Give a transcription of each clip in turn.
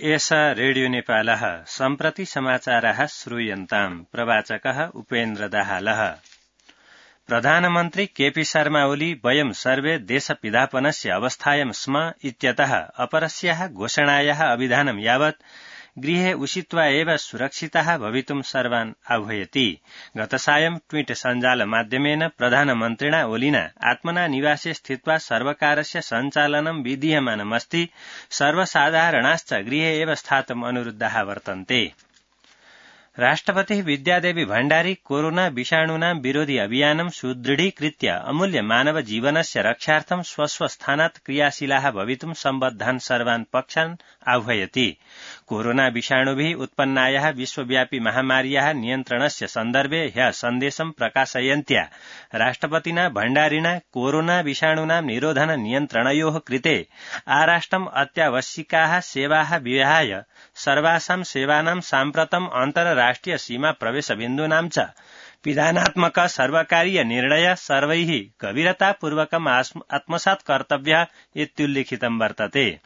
एषा रेडियो नेपालः सम्प्रति समाचाराः श्रूयन्ताम्। प्रवाचकः उपेन्द्र दाहालः। प्रधानमन्त्री केपी शर्मा ओली वयं सर्वे देशपिधापनस्य अवस्थायां स्म इत्यतः अपरस्याः घोषणायाः अभिधानं यावत् गृहे उषित्वा एव सुरक्षिताः भवितुं सर्वान् आह्वयति। गतसायं ट्वीट सञ्जाल माध्यमेन प्रधानमन्त्रिणा ओलिना आत्मना निवासे स्थित्वा सर्वकारस्य सञ्चालनं विधीयमानमस्ति, सर्वसाधारणाश्च गृहे एव स्थातुम् अनुरुद्धाः वर्तन्ते। राष्ट्रपतिः विद्यादेवी भण्डारी कोरोना विषाणूनां विरोधि अभियानं सुदृढीकृत्य अमूल्य मानव जीवनस्य रक्षार्थं स्वस्थानात् क्रियाशीलाः भवितुं सम्बद्धान् सर्वान् पक्षान् आह्वयति। कोरोना विषाणुभिः उत्पन्नायाः विश्वव्यापी महामार्याः नियन्त्रणस्य सन्दर्भे ह्यः सन्देशं प्रकाशयन्त्या राष्ट्रपतिना भण्डारिणा कोरोना विषाणूनां निरोधन नियन्त्रणयोः कृते आराष्ट्रम् अत्यावश्यकाः सेवाः विहाय सर्वासां सेवानां साम्प्रतम् अन्तर्राष्ट्रिय सीमा प्रवेश बिन्दूनां च विधानात्मक सर्वकारीय निर्णय सर्वैः गभीरतापूर्वकम् आत्मसात् कर्तव्यः इत्युल्लिखितं वर्तते।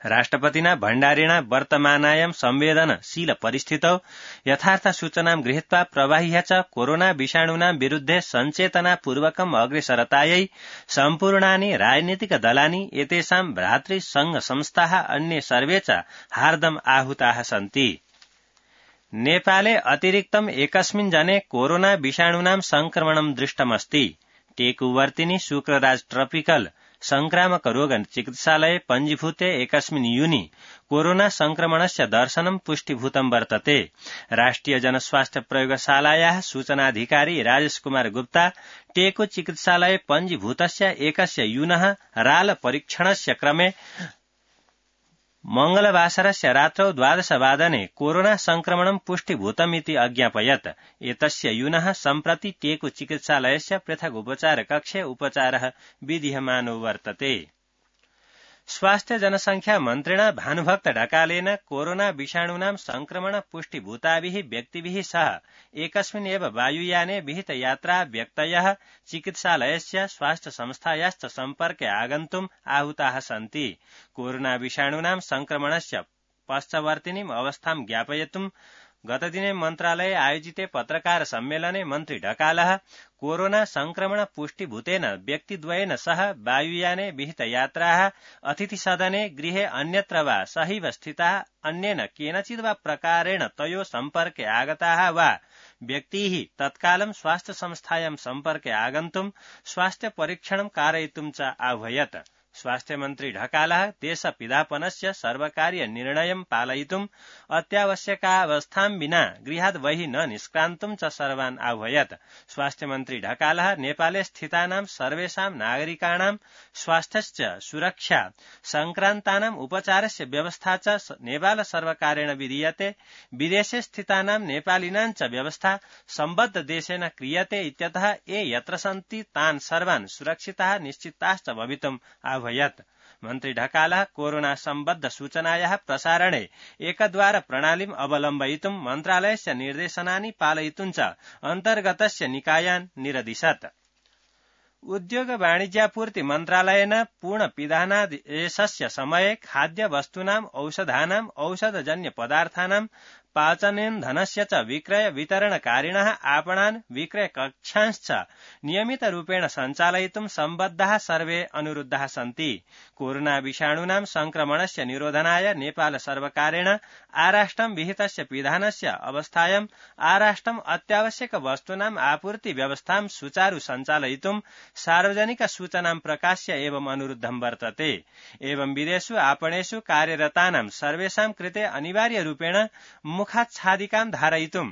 राष्ट्रपतिना भण्डारिणा वर्तमानायां संवेदनशील परिस्थितौ यथार्थ सूचनां गृहीत्वा प्रवाह्य च कोरोना विषाणूनां विरुद्धे सञ्चेतनापूर्वकम् अग्रेसरतायै सम्पूर्णानि राजनीतिक दलानि एतेषां भ्रातृसंघ संस्थाः अन्ये सर्वे च हार्दम् आहूताः सन्ति। नेपाले अतिरिक्तम् एकस्मिन् जने कोरोना विषाणूनां संक्रमणं दृष्टमस्ति। टेकुवर्तिनी शुक्रराज ट्रपिकल संक्रामक रोग चिकित्सालये पञ्जीभूते एकस्मिन् यूनि कोरोना संक्रमणस्य दर्शनं पुष्टिभूतं वर्तते। राष्ट्रिय जनस्वास्थ्य प्रयोगशालायाः सूचनाधिकारी राजेश कुमार गुप्ता टेकु चिकित्सालये पञ्जीभूतस्य एकस्य यूनः राल परीक्षणस्य क्रमे मंगलवासरस्य रात्रौ 12 वादने कोरोना संक्रमणं पुष्टिभूतमिति अज्ञापयत्। एतस्य यूनः सम्प्रति टेकु चिकित्सालयस्य पृथक् उपचार कक्षे उपचारः विधीयमानो वर्तते। स्वास्थ्य जनसंख्या मन्त्रिणा भानुभक्त ढकालेन कोरोना विषाणूनां संक्रमण पुष्टिभूताभिः व्यक्तिभिः सह एकस्मिन् एव वायुयाने विहित यात्रा व्यक्तयः चिकित्सालयस्य स्वास्थ्य संस्थायाश्च सम्पर्के आगन्तुम् आहूताः सन्ति। कोरोना विषाणूनां संक्रमणस्य पश्चवर्तिनीम् अवस्थां ज्ञापयितुम् गतदिने मन्त्रालये आयोजिते पत्रकार सम्मेलने मन्त्री ढकालः कोरोना संक्रमण पुष्टिभूतेन व्यक्तिद्वयेन सह वायुयाने विहित यात्राः अतिथिसदने गृहे अन्यत्र वा सहैव स्थिताः अन्येन केनचित् वा प्रकारेण तयोः सम्पर्के आगताः वा व्यक्तिः तत्कालं स्वास्थ्य संस्थायां सम्पर्के आगन्तुम् स्वास्थ्य परीक्षणं कारयितुं च आह्वयत्। स्वास्थ्य मन्त्री ढकालः देशपिधापनस्य सर्वकारीय निर्णयं पालयितुम् अत्यावश्यकावस्थां विना गृहात् बहिः न निष्क्रान्तुं च सर्वान् आह्वयत्। स्वास्थ्य मन्त्री ढकालः नेपाले स्थितानां सर्वेषां नागरिकाणां स्वास्थ्यस्य सुरक्षा संक्रान्तानाम् उपचारस्य व्यवस्था च नेपाल सर्वकारेण विधीयते। विदेशे स्थितानां नेपालिनां च व्यवस्था सम्बद्ध देशेन क्रियते इत्यतः ये यत्र सन्ति तान् सर्वान् सुरक्षिताः निश्चिताश्च भवितुम् आह्वयत्। मन्त्री ढकालः कोरोना सम्बद्ध सूचनायाः प्रसारणे एकद्वार प्रणालीम् अवलम्बयितुं मन्त्रालयस्य निर्देशनानि पालयितुं च अन्तर्गतस्य निकायान् निरदिशत्। उद्योग वाणिज्यापूर्ति मन्त्रालयेन पूर्णपिधानादेशस्य समये खाद्य वस्तूनाम् औषधानाम् औषधजन्य पदार्थानां पाचनेन्धनस्य च विक्रय वितरणकारिणः आपणान् विक्रय कक्षांश्च नियमितरूपेण सञ्चालयितुं सम्बद्धाः सर्वे अनुरुद्धाः सन्ति। कोरोना विषाणूनां संक्रमणस्य निरोधनाय नेपाल सर्वकारेण आराष्ट्रं विहितस्य पिधानस्य अवस्थायां आराष्ट्रम् अत्यावश्यक वस्तूनाम् आपूर्ति व्यवस्थां सुचारु सञ्चालयितुं सार्वजनिक सूचनां प्रकाश्य एवं अनुरुद्धं वर्तते। एवं विदेशु आपणेषु कार्यरतानां सर्वेषां कृते अनिवार्यरूपेण मुखाच्छादिकां धारयितुं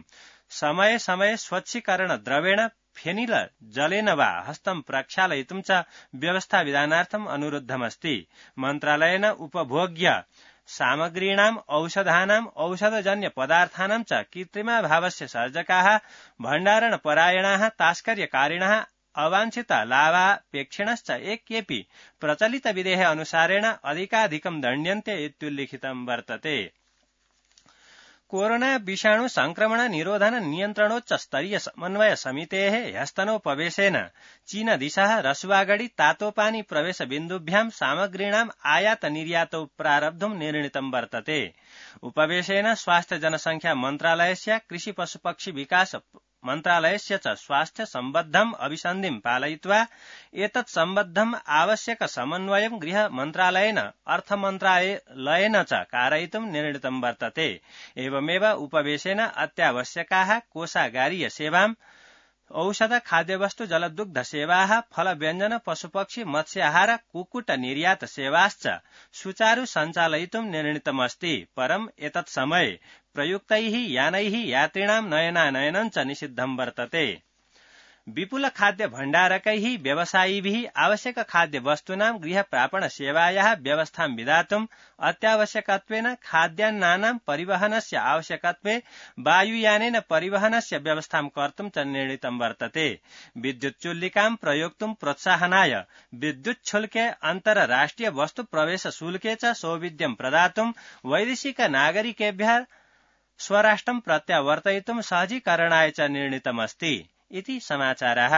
समये समये स्वच्छीकरण द्रवेण फेनिल जलेन वा हस्तं प्रक्षालयितुं च व्यवस्था विधानार्थम् अनुरुद्धमस्ति। मन्त्रालयेन उपभोग्य सामग्रीणाम् औषधानाम् औषधजन्य पदार्थानां च कृत्रिमाभावस्य सर्जकाः भण्डारणपरायणाः तास्कर्यकारिणः अवाञ्छित लाभापेक्षिणश्च एकेऽपि प्रचलित विधेः अनुसारेण अधिकाधिकं दण्ड्यन्ते इत्युल्लिखितं वर्तते। कोरोना विषाणु संक्रमण निरोधन नियन्त्रणोच्च स्तरीय समन्वय समितेः ह्यस्तनोपवेशेन चीन दिशः रसुवागढी तातोपानी प्रवेश बिन्दुभ्यां सामग्रीणाम् आयात निर्यातौ प्रारब्धुं निर्णीतं वर्तते। उपवेशेन स्वास्थ्य जनसंख्या मन्त्रालयस्य कृषि पशुपक्षी विकास मन्त्रालयस्य च स्वास्थ्य सम्बद्धम् अभिसन्धिं पालयित्वा एतत् सम्बद्धम् आवश्यक समन्वयं गृह मन्त्रालयेन अर्थ मन्त्रालयेन च कारयितुं निर्णीतं वर्तते। एवमेव उपवेशेन अत्यावश्यकाः कोषागारीय सेवाम् औषध खाद्यवस्तु जलदुग्ध सेवाः फल व्यञ्जन पशुपक्षी मत्स्याहार कुक्कुट निर्यात सेवाश्च सुचारु सञ्चालयितुं निर्णीतमस्ति। परम् एतत् समये प्रयुक्तैः यानैः यात्रिणां नयनानयनं च निषिद्धं वर्तते। विपुल खाद्य भण्डारकैः व्यवसायिभिः आवश्यक खाद्य वस्तूनां गृह प्रापण सेवायाः व्यवस्थां विधातुम् अत्यावश्यकत्वेन खाद्यान्नानां परिवहनस्य आवश्यकत्वे वायुयानेन परिवहनस्य व्यवस्थां कर्तुं च निर्णीतं वर्तते। विद्युत् चुल्लिकां प्रयोक्तुं प्रोत्साहनाय विद्युच्छुल्के अन्तर्राष्ट्रिय वस्तु प्रवेश शुल्के च सौविध्यं प्रदातुं वैदेशिक नागरिकेभ्यः स्वराष्ट्रं प्रत्यावर्तयितुं सहजीकरणाय च निर्णीतमस्ति इति समाचारः।